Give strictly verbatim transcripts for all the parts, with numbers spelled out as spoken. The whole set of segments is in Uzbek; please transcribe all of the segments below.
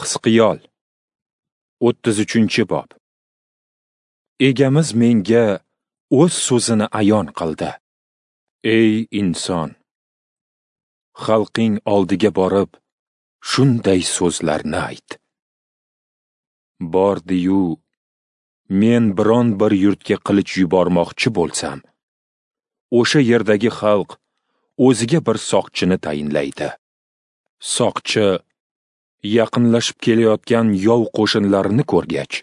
Hizqiyol o'ttiz uchinchi bob. Egamiz menga o'z so'zini ayon qildi. Ey inson, xalqing oldiga borib, shunday so'zlarni ayt. Bordi-yu, men biron bir yurtga qilich yubormoqchi bo'lsam, o'sha yerdagi xalq o'ziga bir soqchini tayinlaydi. Soqchi yaqinlashib kelayotgan yov qo'shinlarini ko'rgach,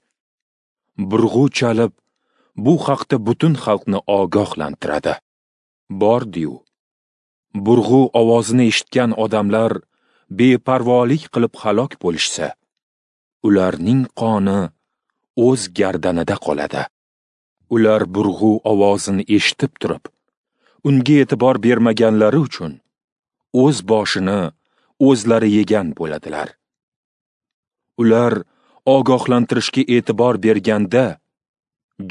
burg'u chalib, bu haqda butun xalqni ogohlantiradi. Bordi-yu, burg'u ovozini eshitgan odamlar beparvolik qilib halok bo'lishsa, ularning qoni o'z gardanida qoladi. Ular burg'u ovozini eshitib turib, unga e'tibor bermaganlari uchun o'z boshini o'zlari yegan bo'ladilar. Ular ogohlantirishga e'tibor berganda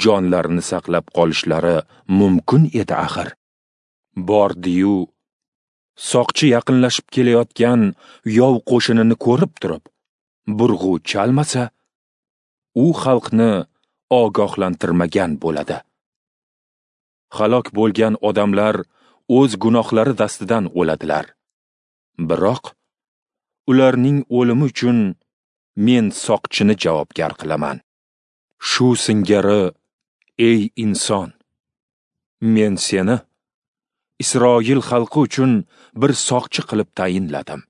jonlarini saqlab qolishlari mumkin edi axir. Bordi-yu, soqchi yaqinlashib kelayotgan yov qo'shinini ko'rib turib, burg'u chalmasa, u xalqni ogohlantirmagan bo'ladi. Halok bo'lgan odamlar o'z gunohlari dastidan o'ladilar. Biroq ularning o'limi uchun men soqchini javobgar qilaman. Shu singari, ey inson, men seni Isroil xalqi uchun bir soqchi qilib tayinladim.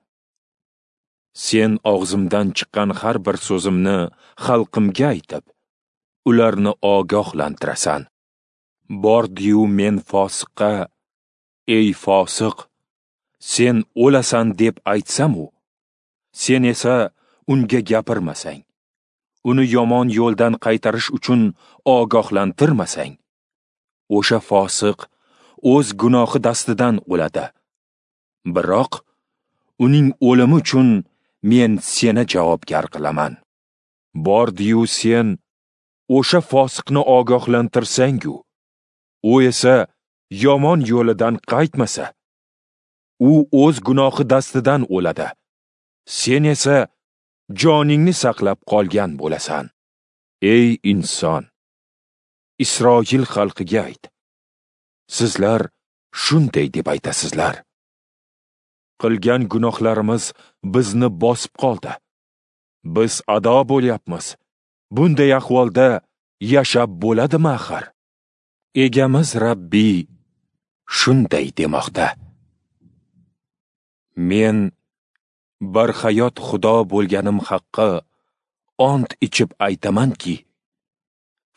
Sen og'zimdan chiqqan har bir so'zimni xalqimga aytib, ularni ogohlantirasan. Bordi-yu men fosiqqa, ey fosiq, sen o'lasan deb aytsam-u, sen esa unga gapirmasang, uni yomon yo'ldan qaytarish uchun ogohlantirmasang, o'sha fosiq o'z gunohi dastidan o'ladi. Biroq uning o'limi uchun men seni javobgar qilaman. Bordi-yu sen o'sha fosiqni ogohlantirsang-u, u esa yomon yo'lidan qaytmasa, u o'z gunohi dastidan o'ladi. Sen esa joningni saqlab qolgan bo'lasan. Ey inson, Isroil xalqiga ayt. Sizlar shunday deb aytasizlar: qilgan gunohlarimiz bizni bosib qoldi. Biz ado bo'lyapmiz. Bunday ahvolda yashab bo'ladimi axir? Egamiz Rabbiy shunday demoqda: Men barhayot Xudo bo'lganim haqqi ont ichib aytamanki,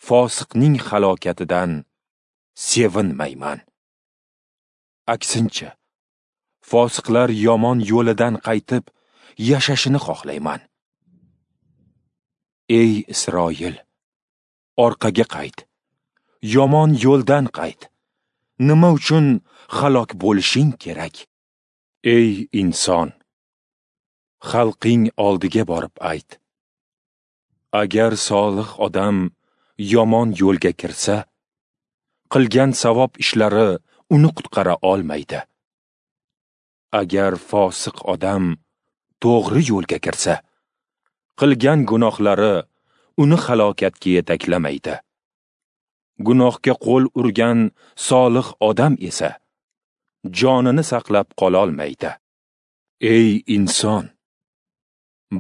fosiqning halokatidan sevinmayman. Aksincha, fosiqlar yomon yo'lidan qaytib yashashini xohlayman. Ey Isroil, orqaga qayt, yomon yo'ldan qayt. Nima uchun halok bo'lishing kerak? Ey inson, xalqing oldiga borib ayt. Agar solih odam yomon yo'lga kirsa, qilgan savob ishlari uni qutqara olmaydi. Agar fosiq odam to'g'ri yo'lga kirsa, qilgan gunohlari uni halokatga yetaklamaydi. Gunohga qo'l urgan solih odam esa jonini saqlab qola olmaydi. Ey inson,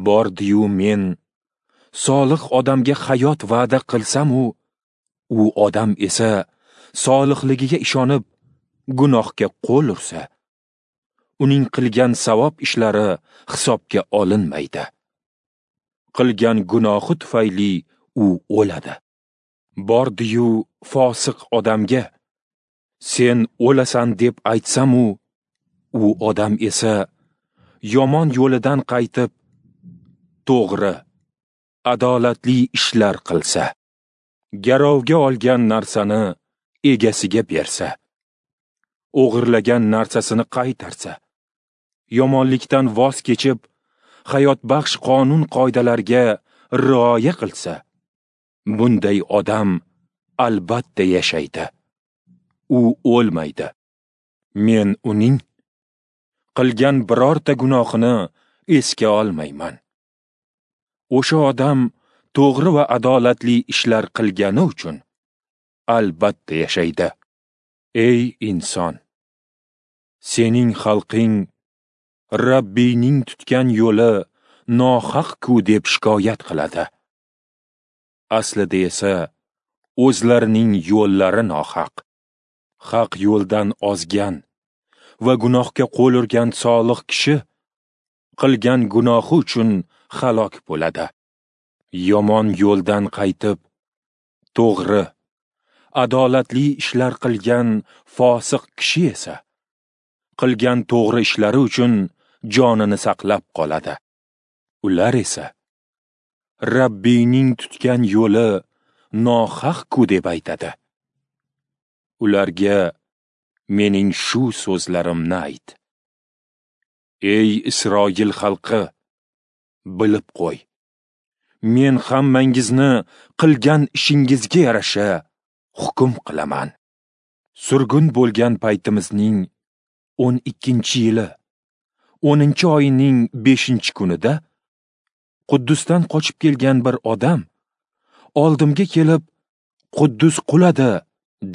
bordi-yu men solih odamga hayot va'da qilsam-u, u odam esa solihligiga ishonib gunohga qo'l ursa, uning qilgan savob ishlari hisobga olinmaydi. Qilgan gunohi tufayli u o'ladi. Bordi-yu fosiq odamga sen o'lasan deb aytsam-u, u odam esa yomon yo'lidan qaytib to'g'ri, adolatli ishlar qilsa, garovga olgan narsani egasiga bersa, o'g'irlagan narsasini qaytarsa, yomonlikdan voz kechib, hayotbaxsh qonun-qoidalarga rioya qilsa, bunday odam albatta yashaydi. U o'lmaydi. Men uning qilgan birorta gunohini esga olmayman. O'sha odam to'g'ri va adolatli ishlar qilgani uchun albatta yashaydi. Ey inson, sening xalqing Rabbiyning tutgan yo'li nohaq-ku deb shikoyat qiladi. Aslida esa o'zlarining yo'llari nohaq. Haq yo'ldan ozgan va gunohga qo'l urgan solih kishi qilgan gunohi uchun halok bo'ladi. Yomon yo'ldan qaytib, to'g'ri, adolatli ishlar qilgan fosiq kishi esa qilgan to'g'ri ishlari uchun jonini saqlab qoladi. Ular esa Rabbiyning tutgan yo'li nohaq-ku deb aytadi. Ularga mening shu so'zlarimni ayt. Ey Isroil xalqi, bilib qo'y. Men hammangizni qilgan ishingizga yarasha hukm qilaman. Surgun bo'lgan paytimizning o'n ikkinchi yili, o'ninchi oyning beshinchi kunida Quddusdan qochib kelgan bir odam oldimga kelib, Quddus quladi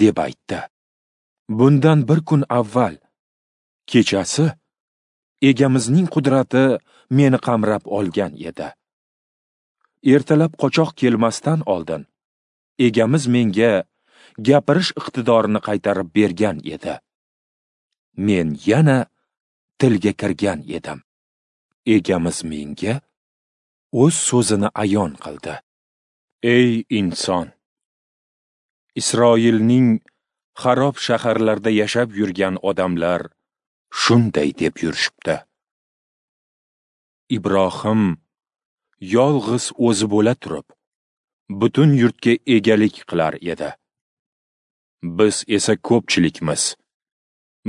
deb aytdi. Bundan bir kun avval kechasi Egamizning qudrati meni qamrab olgan edi. Ertalab qochoq kelmasdan oldin Egamiz menga gapirish iqtidorini qaytarib bergan edi. Men yana tilga kirgan edim. Egamiz menga o'z so'zini ayon qildi. Ey inson, Isroilning xarob shaharlarda yashab yurgan odamlar shunday deb yurishibdi. Ibrohim yolg'iz o'zi bo'la turib, butun yurtga egalik qilar edi. Biz esa ko'pchilikmiz.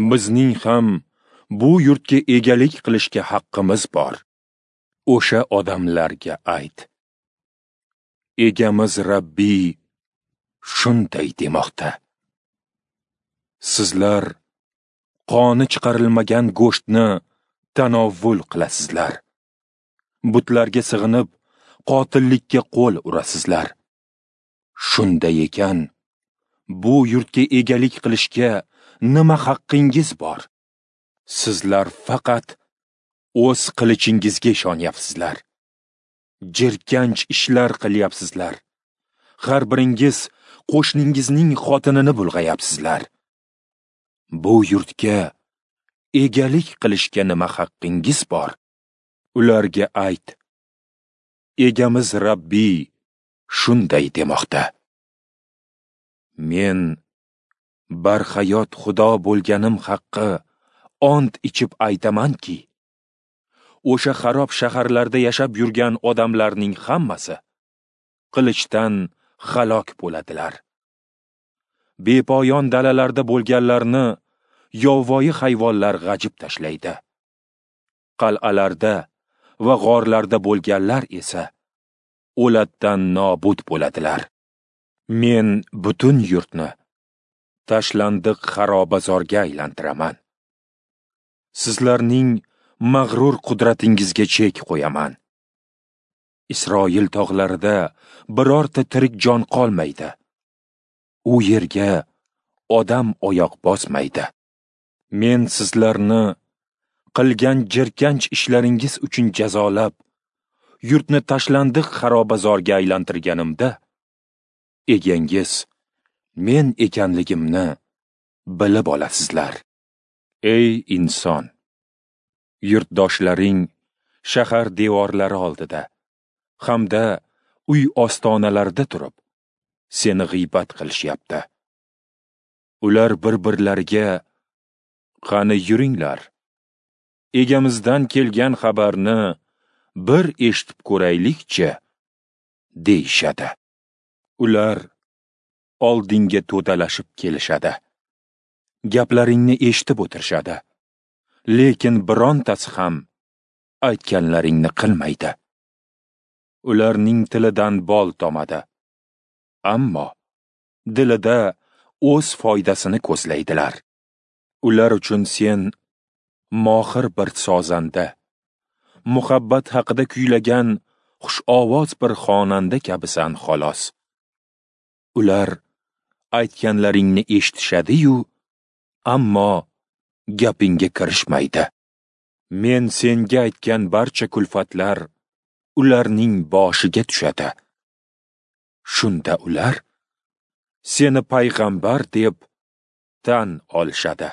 Bizning ham bu yurtga egalik qilishga haqqimiz bor. O'sha odamlarga ayt. Egamiz Rabbiy shunday demoqda. Sizlar qoni chiqarilmagan go'shtni tanovvul qilasizlar. Butlarga sig'inib, qotillikka qo'l urasizlar. Shunday ekan, bu yurtga egalik qilishga nima haqqingiz bor? Sizlar faqat o'z qilichingizga ishonyapsizlar. Jirkanch ishlar qilyapsizlar. Har biringiz qo'shningizning xotinini bulg'ayapsizlar. Bu yurtga egalik qilishga nima haqqingiz bor? Ularga ayt. Egamiz Rabbiy shunday demoqda. Men barhayot Xudo bo'lganim haqqi ont ichib aytamanki, o'sha xarob shaharlarda yashab yurgan odamlarning hammasi qilichdan halok bo'ladilar. Bepoyon dalalarda bo'lganlarni yovvoyi hayvonlar g'ajib tashlaydi. Qal'alarda va g'orlarda bo'lganlar esa o'latdan nobud bo'ladilar. Men butun yurtni tashlandiq xarobazorga aylantiraman. Sizlarning mag'rur qudratingizga chek qo'yaman. Isroil tog'larida birorta tirik jon qolmaydi. U yerga odam oyoq bosmaydi. Men sizlarni qilgan jirkanch ishlaringiz uchun jazolab, yurtni tashlandiq xarobazorga aylantirganimda, egangiz men ekanligimni bilib olasizlar. Ey inson, yurtdoshlaring shahar devorlari oldida hamda uy ostonalarida turib, seni g'iybat qilishyapti. Ular bir-birlariga: "Qani yuringlar, egamizdan kelgan xabarni bir eshitib ko'raylikchi" deyishadi. Ular oldinga to'dalashib kelishadi. Gaplaringni eshitib o'tirishadi. Lekin birontasi ham aytganlaringni qilmaydi. Ularning tilidan bol tomadi, ammo dilida o'z foydasini ko'zlaydilar. Ular uchun sen mohir bir sozanda, muhabbat haqida kuylagan xushovoz bir xonanda kabisan xolos. Ular aytganlaringni eshitishadi-yu, ammo gapingga kirishmaydi. Men senga aytgan barcha kulfatlar ularning boshiga tushadi. Shunda ular seni payg'ambar deb tan olishadi.